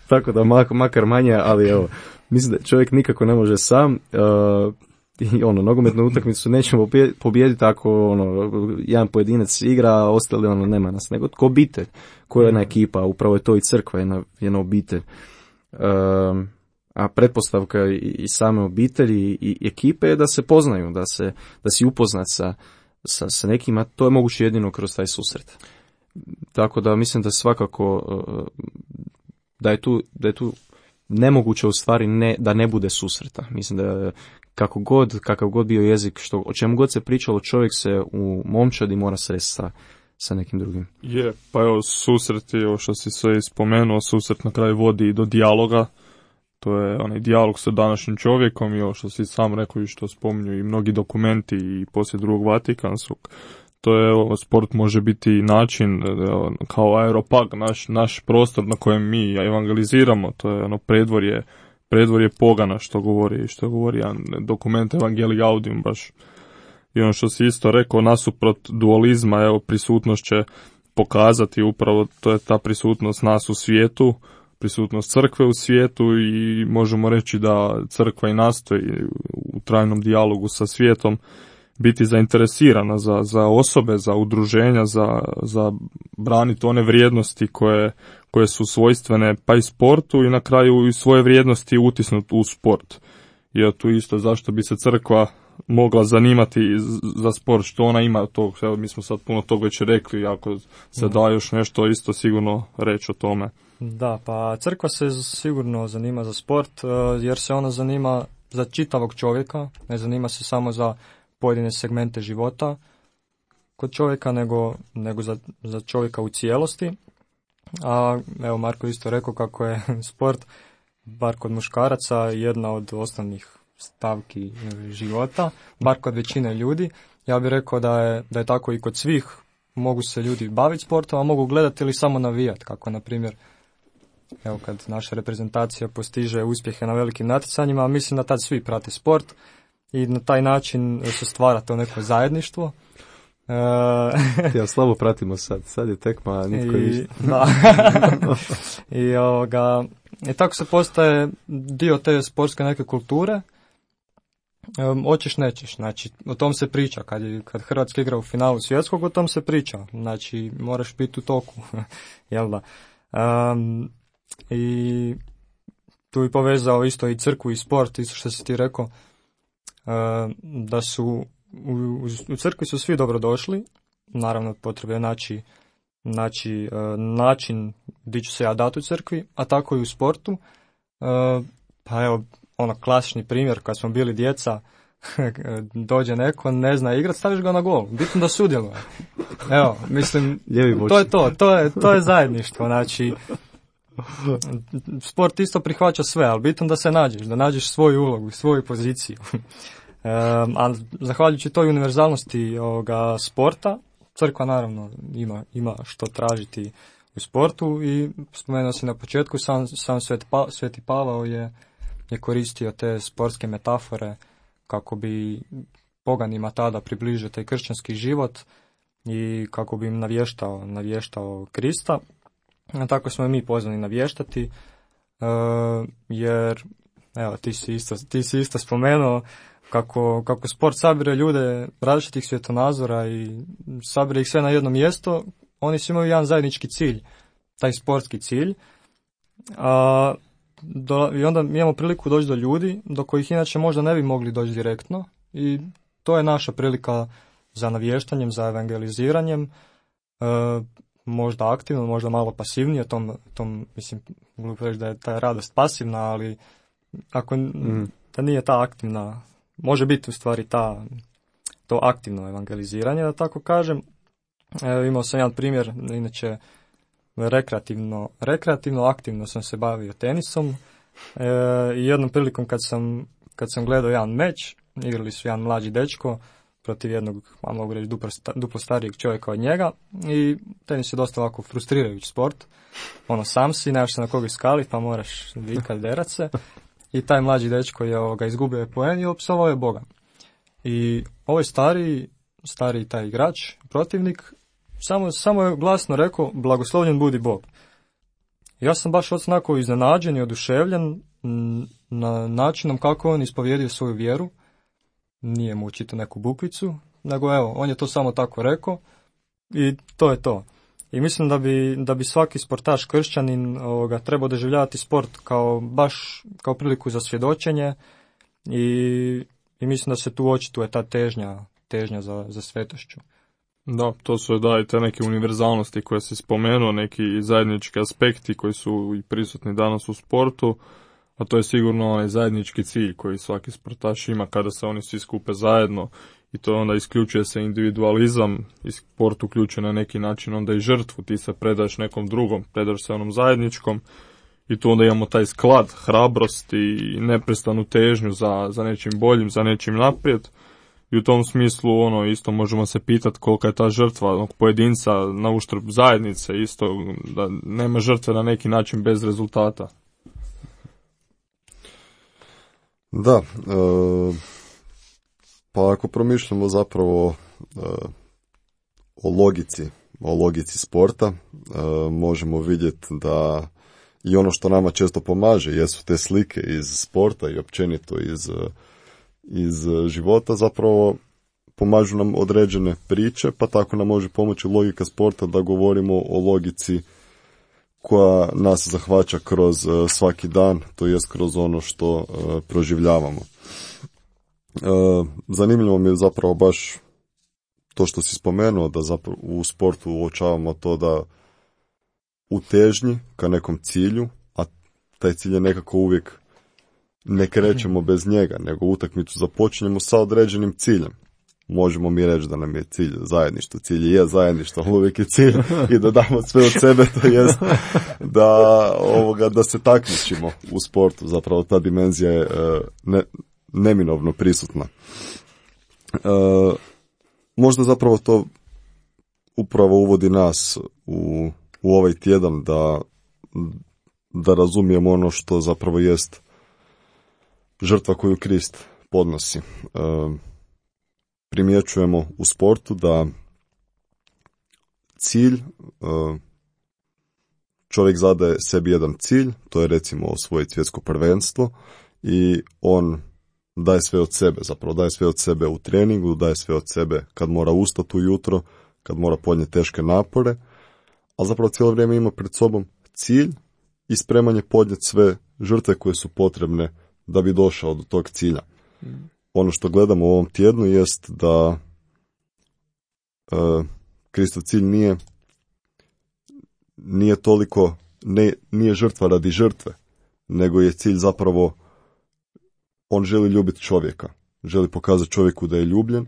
tako da mak, makar manje, ali evo, mislim da čovjek nikako ne može sam. Uh, I ono, nogometnu utakmicu nećemo pobijediti ako ono, jedan pojedinac igra, a ostali ono, nema nas, nego ko obitelj, koja je jedna ekipa, upravo je to i crkva, jedna, jedna obitelj. Uh, A pretpostavka i same obitelji i ekipe je da se poznaju, da se da si upoznat sa, sa, sa nekima, to je moguće jedino kroz taj susret. Tako da mislim da svakako da je tu, da je tu nemoguće u stvari ne, da ne bude susreta. Mislim da kako god, kakav god bio jezik, što, o čemu god se pričalo, čovjek se u momčadi mora sresti sa, sa nekim drugim. Je, pa evo susret je, što si sve spomenuo, susret na kraju vodi i do dijaloga. To je onaj dijalog sa današnjim čovjekom i ovo što si sam rekao i što spominju i mnogi dokumenti i poslije drugog Vatikanskog. To je, evo, sport može biti način, evo, kao aeropag, naš, naš prostor na kojem mi evangeliziramo. To je ono predvorje, predvorje pogana što govori, što govori jedan dokument Evangelii Gaudium baš. I ono što si isto rekao, nasuprot dualizma, evo, prisutnost će pokazati upravo, to je ta prisutnost nas u svijetu, prisutnost crkve u svijetu i možemo reći da crkva i nastoji u trajnom dijalogu sa svijetom biti zainteresirana za, za osobe, za udruženja, za, za braniti one vrijednosti koje, koje su svojstvene pa i sportu i na kraju i svoje vrijednosti utisnuti u sport. Jer tu isto zašto bi se crkva mogla zanimati za sport, što ona ima tog, evo, mi smo sad puno toga već rekli, ako se da još nešto isto sigurno reći o tome. Da, pa crkva se sigurno zanima za sport, jer se ona zanima za čitavog čovjeka, ne zanima se samo za pojedine segmente života kod čovjeka, nego, nego za, za čovjeka u cijelosti. A evo, Marko isto rekao kako je sport, bar kod muškaraca, jedna od osnovnih stavki života, bar kod većine ljudi. Ja bih rekao da je, da je tako i kod svih. Mogu se ljudi baviti sportom, a mogu gledati ili samo navijati, kako na primjer evo kad naša reprezentacija postiže uspjehe na velikim natjecanjima, mislim da tad svi prate sport i na taj način se stvara to neko zajedništvo. E... ja slabo pratimo sad, sad je tekma, nitko I, da. I, ovoga, I tako se postaje dio te sportske neke kulture. Um, hoćeš nećeš, znači o tom se priča, kad, je, kad Hrvatska igra u finalu svjetskog, o tom se priča, znači moraš biti u toku, jel da. Um, I tu bi povezao isto i crkvu i sport, isto što si ti rekao, uh, da su u, u crkvi su svi dobrodošli, naravno potrebno je naći, naći uh, način gdje ću se ja dati u crkvi, a tako i u sportu. Uh, pa evo, ono klasični primjer, kad smo bili djeca, dođe neko, ne zna igrat, staviš ga na gol, bitno da sudjeluje. Evo, mislim, to je to, to je, to je zajedništvo, znači, sport isto prihvaća sve, ali bitno da se nađeš, da nađeš svoju ulogu, svoju poziciju. Um, a zahvaljujući toj univerzalnosti ovoga sporta, crkva naravno ima, ima što tražiti u sportu i spomenuo si na početku, sam, sam Sveti, pa, Sveti Pavao je, je koristio te sportske metafore kako bi poganima tada približio taj kršćanski život i kako bi im navještao, navještao Krista. A tako smo i mi pozvani navještati, uh, jer evo, ti si isto, ti si isto spomenuo kako, kako sport sabire ljude različitih svjetonazora i sabire ih sve na jedno mjesto, oni svi imaju jedan zajednički cilj, taj sportski cilj. A do, i onda mi imamo priliku doći do ljudi do kojih inače možda ne bi mogli doći direktno i to je naša prilika za navještanjem, za evangeliziranjem, e, možda aktivno, možda malo pasivnije, tom, tom mislim, glupo reći da je ta radost pasivna, ali ako mm. da nije ta aktivna, može biti u stvari ta, to aktivno evangeliziranje, da tako kažem. E, imao sam jedan primjer, inače rekreativno, rekreativno, aktivno sam se bavio tenisom e, i jednom prilikom kad sam, kad sam gledao jedan meč, igrali su jedan mlađi dečko protiv jednog, mogu reći, duplo, duplo starijeg čovjeka od njega i tenis je dosta ovako frustrirajući sport. Ono, sam si, nemaš se na koga iskaliti, pa moraš vikat, derat se. I taj mlađi dečko je ovoga, izgubio je poen i opsovao je Boga. I ovaj stariji, stariji taj igrač, protivnik, Samo, samo je glasno rekao, blagoslovljen budi Bog. Ja sam baš onako iznenađen i oduševljen na načinom kako on ispovjedio svoju vjeru. Nije mu učitao neku bukvicu, nego evo, on je to samo tako rekao i to je to. I mislim da bi, da bi svaki sportaš kršćanin ovoga, trebao doživljavati sport kao baš kao priliku za svjedočenje i, i mislim da se tu očituje ta težnja, težnja za, za svetošću. Da, to su da i te neke univerzalnosti koje si spomenuo, neki zajednički aspekti koji su i prisutni danas u sportu, a to je sigurno onaj zajednički cilj koji svaki sportaš ima kada se oni svi skupe zajedno i to onda isključuje se individualizam i sport uključuje na neki način onda i žrtvu, ti se predaš nekom drugom, predaš se onom zajedničkom i tu onda imamo taj sklad, hrabrost i neprestanu težnju za, za nečim boljim, za nečim naprijed. I u tom smislu ono isto možemo se pitati kolika je ta žrtva onog pojedinca na uštrb zajednice, isto da nema žrtve na neki način bez rezultata. Da, e, pa ako promišljamo zapravo e, o logici, o logici sporta, e, možemo vidjeti da i ono što nama često pomaže jesu te slike iz sporta i općenito iz iz života, zapravo pomažu nam određene priče, pa tako nam može pomoći logika sporta da govorimo o logici koja nas zahvaća kroz svaki dan, to jest kroz ono što proživljavamo. zanimljivo mi je zapravo baš to što si spomenuo, da zapravo u sportu uočavamo to da u težnji ka nekom cilju, a taj cilj je nekako uvijek, ne krećemo bez njega, nego utakmicu započinjemo sa određenim ciljem. Možemo mi reći da nam je cilj zajedništvo, cilj je zajedništvo, ali uvijek je cilj i da damo sve od sebe, to jest da, ovoga, da se takmičimo u sportu, zapravo ta dimenzija je ne, neminovno prisutna. E, možda zapravo to upravo uvodi nas u, u ovaj tjedan da, da razumijemo ono što zapravo jest žrtva koju Krist podnosi. E, primjećujemo u sportu da cilj, čovjek zadaje sebi jedan cilj, to je recimo osvojiti svjetsko prvenstvo i on daje sve od sebe, zapravo daje sve od sebe u treningu, daje sve od sebe kad mora ustati ujutro, kad mora podnijeti teške napore, ali zapravo cijelo vrijeme ima pred sobom cilj i spreman je podnijeti sve žrtve koje su potrebne da bi došao do tog cilja. Ono što gledamo u ovom tjednu jest da e, Kristov cilj nije nije toliko, ne, nije žrtva radi žrtve, nego je cilj zapravo, on želi ljubiti čovjeka, želi pokazati čovjeku da je ljubljen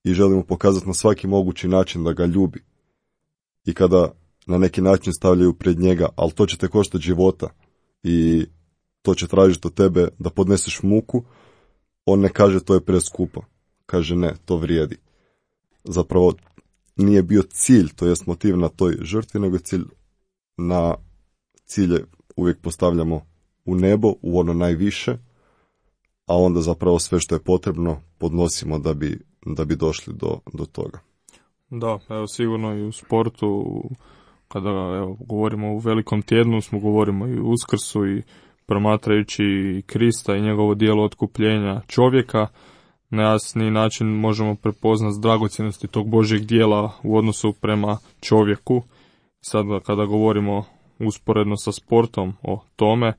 i želi mu pokazati na svaki mogući način da ga ljubi. I kada na neki način stavljaju pred njega, ali to će te koštati života i to će tražiti od tebe da podneseš muku, on ne kaže to je preskupo, kaže ne, to vrijedi. Zapravo nije bio cilj, to jest motiv na toj žrtvi, nego cilj na cilje uvijek postavljamo u nebo, u ono najviše, a onda zapravo sve što je potrebno podnosimo da bi, da bi došli do, do toga. Da, evo sigurno i u sportu, kada evo, govorimo u velikom tjednu, smo govorimo i u Uskrsu i promatrajući Krista i njegovo djelo otkupljenja čovjeka, na jasni način možemo prepoznati dragocjenosti tog Božjeg djela u odnosu prema čovjeku. Sad kada govorimo usporedno sa sportom o tome,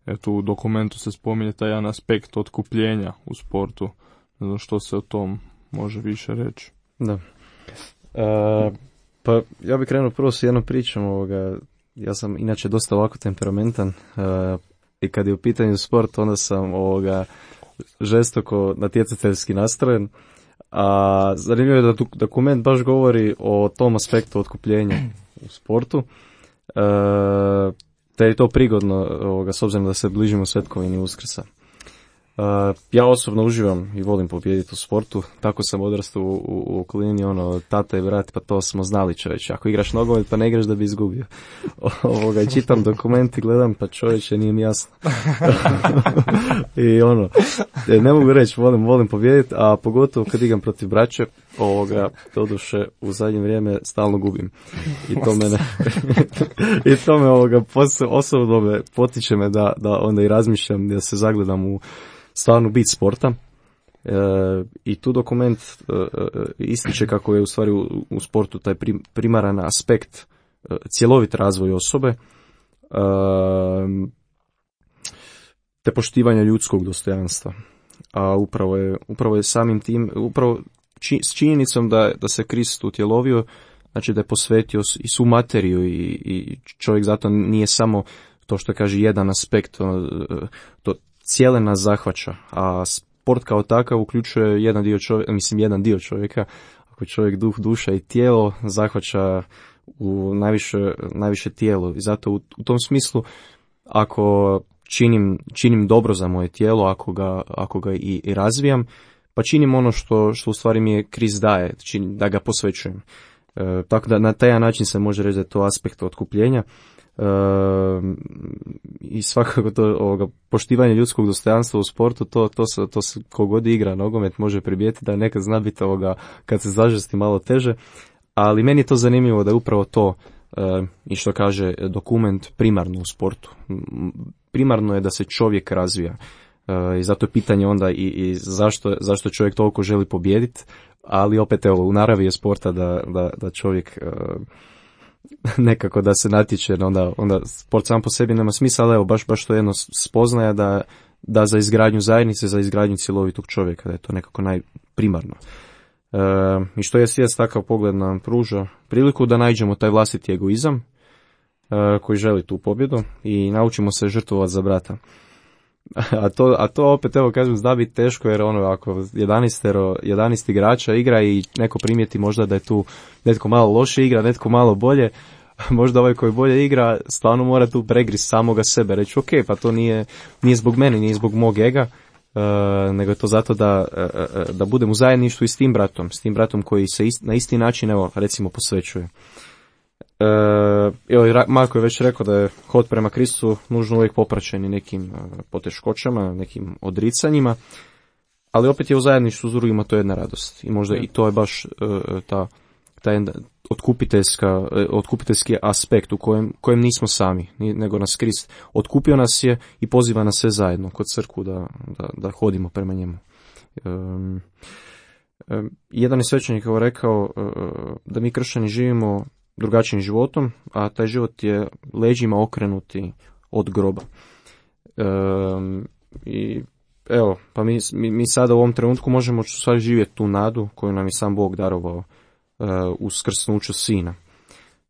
eto u dokumentu se spominje taj jedan aspekt otkupljenja u sportu. Ne znam što se o tom može više reći. Da. E, pa ja bih krenuo prvo s jednom pričom. Ovoga. Ja sam inače dosta ovako temperamentan. E, I kad je u pitanju sport, onda sam ovoga žestoko natjecateljski nastrojen. A zanimljivo je da dokument baš govori o tom aspektu otkupljenja u sportu. E, te je to prigodno ovoga, s obzirom da se bližimo svetkovini Uskrsa. Uh, ja osobno uživam i volim pobijediti u sportu, tako sam odrastao u, u, u okolini, ono, tata i brat, pa to smo znali čovječe, ako igraš nogomet pa ne igraš da bi izgubio. Ovoga, i čitam dokument i gledam, pa čovječe, nije mi jasno. I ono, ne mogu reći, volim, volim pobijediti, a pogotovo kad igram protiv braće, ovoga, doduše, u zadnje vrijeme stalno gubim. I to mene, i to me ovoga, osobno me potiče me da, da onda i razmišljam, da se zagledam u stvarno bit sporta. E, i tu dokument e, ističe kako je u stvari u, u sportu taj prim, primaran aspekt e, cjelovit razvoj osobe, e, te poštivanja ljudskog dostojanstva. A upravo je, upravo je samim tim, upravo či, s činjenicom da, da se Krist utjelovio, znači da je posvetio i svu materiju i, i čovjek zato nije samo to što kaže jedan aspekt, to cijele nas zahvaća, a sport kao takav uključuje jedan dio čovjeka, mislim jedan dio čovjeka, ako čovjek duh, duša i tijelo zahvaća u najviše, najviše tijelo. I zato u, u tom smislu, ako činim, činim dobro za moje tijelo, ako ga, ako ga i, i razvijam, pa činim ono što, što u stvari mi je Krist daje, činim, da ga posvećujem. E, tako da na taj način se može reći da je to aspekt otkupljenja. E, i svakako to ovoga, poštivanje ljudskog dostojanstva u sportu, to, to, se, to se kogod igra nogomet može primijetiti da nekad zna biti ovoga, kad se zažesti malo teže, ali meni je to zanimljivo da je upravo to e, i što kaže dokument primarno u sportu. Primarno je da se čovjek razvija e, i zato je pitanje onda i, i zašto, zašto čovjek toliko želi pobijediti, ali opet evo u naravi je sporta da, da, da čovjek e, nekako da se natječe, onda, onda sport sam po sebi nema smisla, ali evo baš, baš to jedno spoznaja da, da za izgradnju zajednice, za izgradnju cjelovitog čovjeka, da je to nekako najprimarno. E, I što je svijest, takav pogled nam pruža priliku da nađemo taj vlastiti egoizam e, koji želi tu pobjedu i naučimo se žrtvovati za brata. A to, a to opet, evo kažem, zna biti teško, jer ono, ako jedanaest igrača igra i neko primijeti možda da je tu netko malo loše igra, netko malo bolje, možda ovaj koji bolje igra stvarno mora tu pregriz samoga sebe, reći ok, pa to nije, nije zbog mene, nije zbog mog ega, uh, nego je to zato da, uh, da budem u zajedništvu i s tim bratom, s tim bratom koji se ist, na isti način, evo, recimo, posvećuje. Uh, evo, Marko je već rekao da je hod prema Kristu nužno uvijek popraćeni nekim uh, poteškoćama, nekim odricanjima, ali opet je u zajedništvu s drugima to jedna radost i možda i to je baš uh, ta, ta jedna otkupiteljska, uh, otkupiteljski aspekt u kojem, kojem nismo sami, nego nas Krist otkupio nas je i poziva nas sve zajedno kod crkvu da, da, da hodimo prema njemu. Um, um, jedan je svećenik rekao uh, da mi kršćani živimo drugačijim životom, a taj život je leđima okrenuti od groba. E, I evo, pa mi, mi, mi sada u ovom trenutku možemo sad živjeti tu nadu koju nam je sam Bog darovao e, u skrsnuću sina.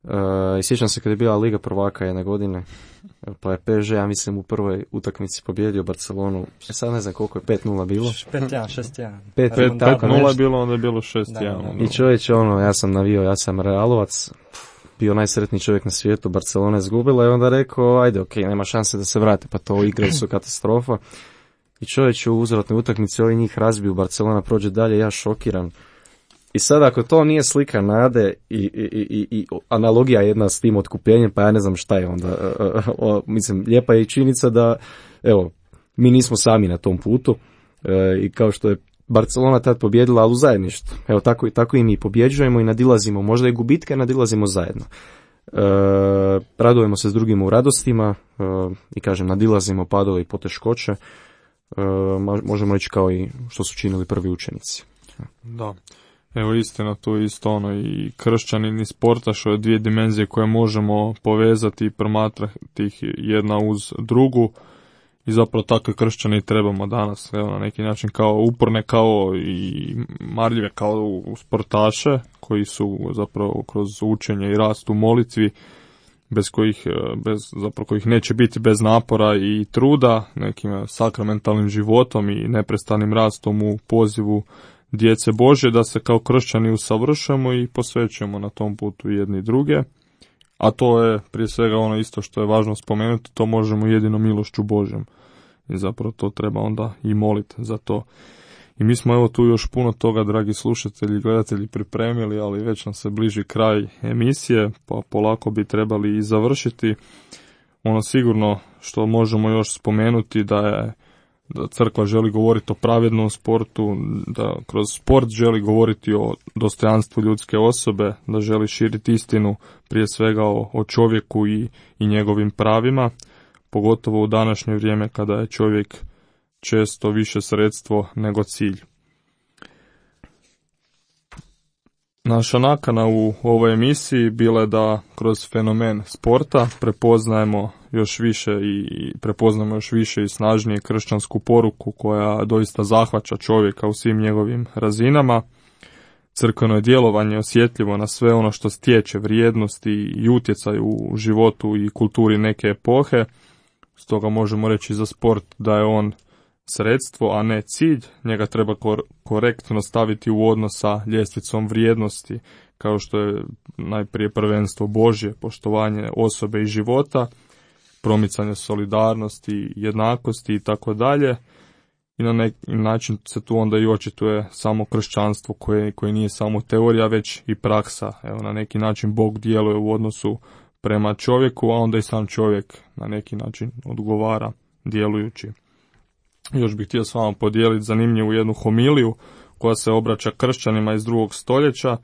E, I sjećam se kada je bila Liga prvaka jedne godine, pa je P S G, ja mislim, u prvoj utakmici pobjedio Barcelonu. E sad ne znam koliko je, pet nula bilo. pet jedan, šest jedan. pet nula je bilo, onda je bilo šest jedan. I čovječe, ono, ja sam navio, ja sam Realovac, bio najsretniji čovjek na svijetu, Barcelona je izgubila i onda rekao, ajde, ok, nema šanse da se vrate, pa to igre su katastrofa. I čovječ u uzvratnoj utakmici ovi njih razbiju, Barcelona prođe dalje, ja šokiran. I sad ako to nije slika nade i, i, i, i analogija jedna s tim otkupljenjem, pa ja ne znam šta je onda. O, o, mislim, lijepa je i činjenica da, evo, mi nismo sami na tom putu e, i kao što je Barcelona tad pobjedila, ali u zajedništvu. Evo, tako, tako i mi pobjeđujemo i nadilazimo, možda i gubitke, nadilazimo zajedno. E, radujemo se s drugima u radostima e, i kažem, nadilazimo padove i poteškoće. E, možemo reći kao i što su činili prvi učenici. Da. Evo, istina, tu isto ono i kršćanin i sportaš, ove dvije dimenzije koje možemo povezati i promatrati ih jedna uz drugu i zapravo takve kršćani trebamo danas, evo, na neki način kao uporne, kao i marljive, kao u sportaše koji su zapravo kroz učenje i rast u molitvi bez kojih, bez, zapravo kojih neće biti bez napora i truda, nekim sakramentalnim životom i neprestanim rastom u pozivu djece Božje, da se kao kršćani usavršamo i posvećujemo na tom putu jedni druge. A to je prije svega ono isto što je važno spomenuti, to možemo jedino milošću Božjom. I zapravo to treba onda i moliti za to. I mi smo evo tu još puno toga, dragi slušatelji i gledatelji, pripremili, ali već nam se bliži kraj emisije, pa polako bi trebali i završiti. Ono sigurno što možemo još spomenuti da je da crkva želi govoriti o pravednom sportu, da kroz sport želi govoriti o dostojanstvu ljudske osobe, da želi širiti istinu prije svega o, o čovjeku i, i njegovim pravima, pogotovo u današnje vrijeme kada je čovjek često više sredstvo nego cilj. Naša nakana u ovoj emisiji bila je da kroz fenomen sporta prepoznajemo još više i prepoznajemo još više i snažnije kršćansku poruku koja doista zahvaća čovjeka u svim njegovim razinama. Crkveno je djelovanje osjetljivo na sve ono što stječe vrijednosti i utjecaj u životu i kulturi neke epohe. Stoga možemo reći za sport da je on sredstvo, a ne cilj. Njega treba kor- korektno staviti u odnos sa ljestvicom vrijednosti, kao što je najprije prvenstvo Božje, poštovanje osobe i života, promicanje solidarnosti, jednakosti i tako dalje. I na neki način se tu onda i očituje samo kršćanstvo koje, koje nije samo teorija, već i praksa. Evo, na neki način Bog djeluje u odnosu prema čovjeku, a onda i sam čovjek na neki način odgovara djelujući. Još bih htio s vama podijeliti zanimljivu jednu homiliju koja se obraća kršćanima iz drugog stoljeća,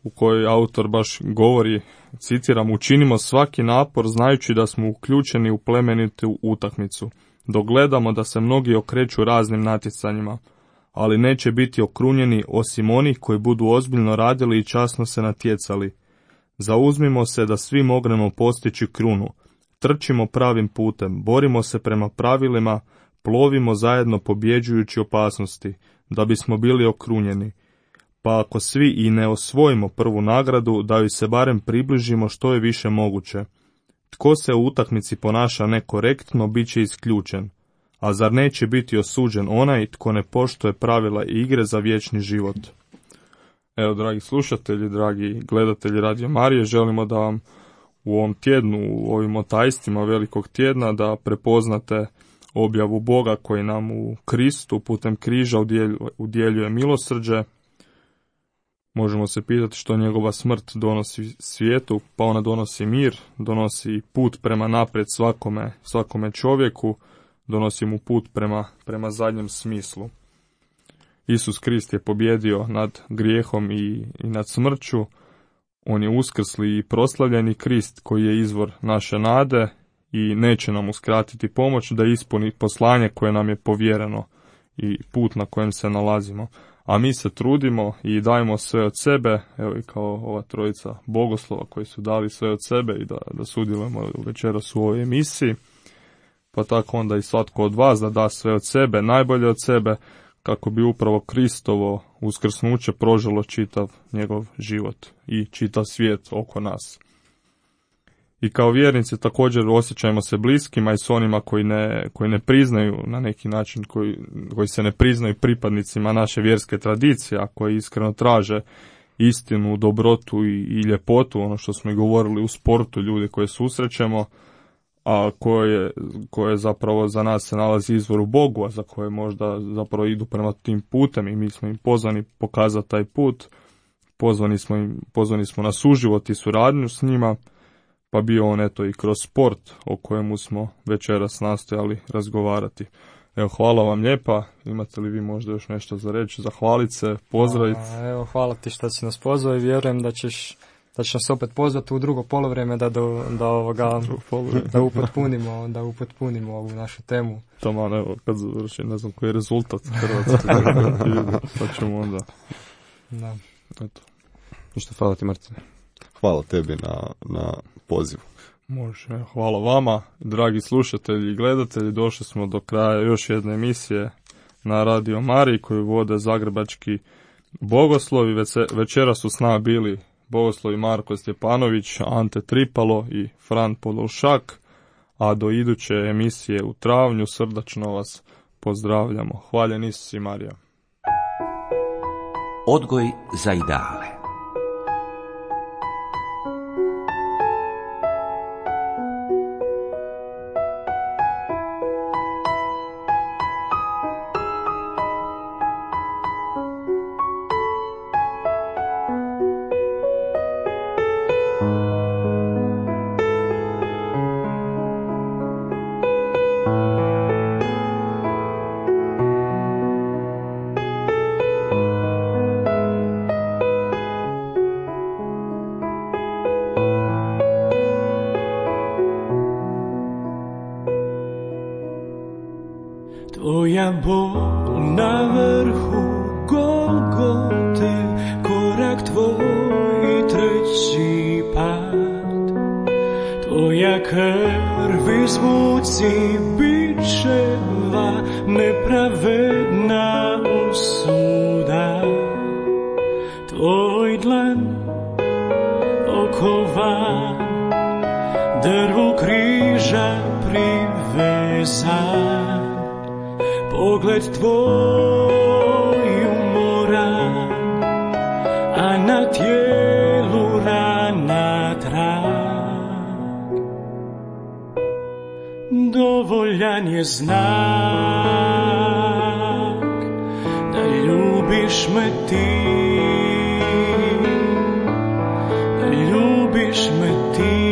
u kojoj autor baš govori, citiram, učinimo svaki napor znajući da smo uključeni u plemenitu utakmicu. Dok gledamo da se mnogi okreću raznim natjecanjima, ali neće biti okrunjeni osim onih koji budu ozbiljno radili i časno se natjecali. Zauzmimo se da svi mognemo postići krunu. Trčimo pravim putem, borimo se prema pravilima, plovimo zajedno pobjeđujući opasnosti, da bismo bili okrunjeni. Pa ako svi i ne osvojimo prvu nagradu, da joj se barem približimo što je više moguće. Tko se u utakmici ponaša nekorektno, bit će isključen. A zar neće biti osuđen onaj tko ne poštuje pravila igre za vječni život? Evo, dragi slušatelji, dragi gledatelji Radio Marije, želimo da vam u ovom tjednu, u ovim otajstvima velikog tjedna, da prepoznate objavu Boga koji nam u Kristu putem križa udjeljuje milosrđe. Možemo se pitati što njegova smrt donosi svijetu, pa ona donosi mir, donosi put prema naprijed svakome, svakome čovjeku, donosi mu put prema, prema zadnjem smislu. Isus Krist je pobjedio nad grijehom i, i nad smrću. On je uskrsli i proslavljeni Krist koji je izvor naše nade i neće nam uskratiti pomoć da ispuni poslanje koje nam je povjereno i put na kojem se nalazimo. A mi se trudimo i dajemo sve od sebe, evo i kao ova trojica bogoslova koji su dali sve od sebe i da, da sudjelujemo večeras u ovoj emisiji. Pa tako onda i svatko od vas da da sve od sebe, najbolje od sebe, kako bi upravo Kristovo uskrsnuće proželo čitav njegov život i čitav svijet oko nas. I kao vjernici također osjećajmo se bliskima i s onima koji ne, koji ne priznaju na neki način, koji, koji se ne priznaju pripadnicima naše vjerske tradicije, a koji iskreno traže istinu, dobrotu i, i ljepotu, ono što smo i govorili u sportu, ljudi koje susrećemo, a koje, koje zapravo za nas se nalazi izvor u Bogu, a za koje možda zapravo idu prema tim putem i mi smo im pozvani pokazati taj put, pozvani smo, im, pozvani smo na suživot i suradnju s njima, pa bio on eto i kroz sport o kojemu smo večeras nastojali razgovarati. Evo, hvala vam lijepa, imate li vi možda još nešto za reći, zahvaliti se, pozdraviti? A, evo, hvala ti što si nas pozvao i vjerujem da ćeš da će nas opet pozvati u drugo polovreme da do, da ovoga da upotpunimo, da upotpunimo ovu našu temu. Taman, evo, kad završi, ne znam koji je rezultat Hrvatske, pa ćemo onda. Da. Eto. Ništa, hvala ti, Martine. Hvala tebi na, na pozivu. Može, hvala vama, dragi slušatelji i gledatelji, došli smo do kraja još jedne emisije na Radio Mariji koju vode zagrebački bogoslovi. Večera su s nama bili bogoslovi Marko Stjepanović, Ante Tripalo i Fran Podolšak, a do iduće emisije u travnju srdačno vas pozdravljamo. Hvaljen Isus i Marija. Odgoj za ideale. Tvoja bol na vrhu Golgote, korak tvoj i treći pad. Tvoja krv iz muci bičeva, nepravedna osuda. Tvoj dlan okovan, drvu križa privezan. Pogled tvoj umoran, a na tijelu rana trag. Dovoljan je znak da ljubiš me ti, da ljubiš me ti.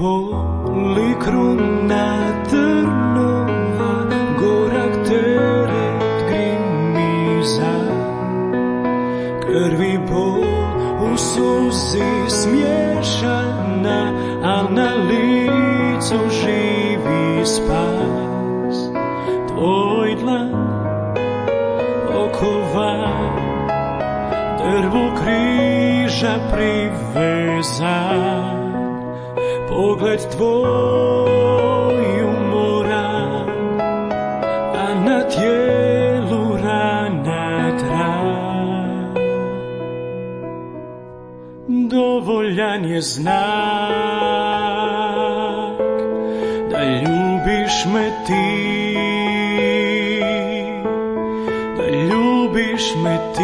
boli kruna trnova, gorak teret grimiza, krvi bol u suzi smješana, a na licu živi spas. Tvoj dlan okovan, drvo križa privezan, pogled tvoj umoran, a na tijelu rana tran. Dovoljan je znak da ljubiš me ti, da ljubiš me ti.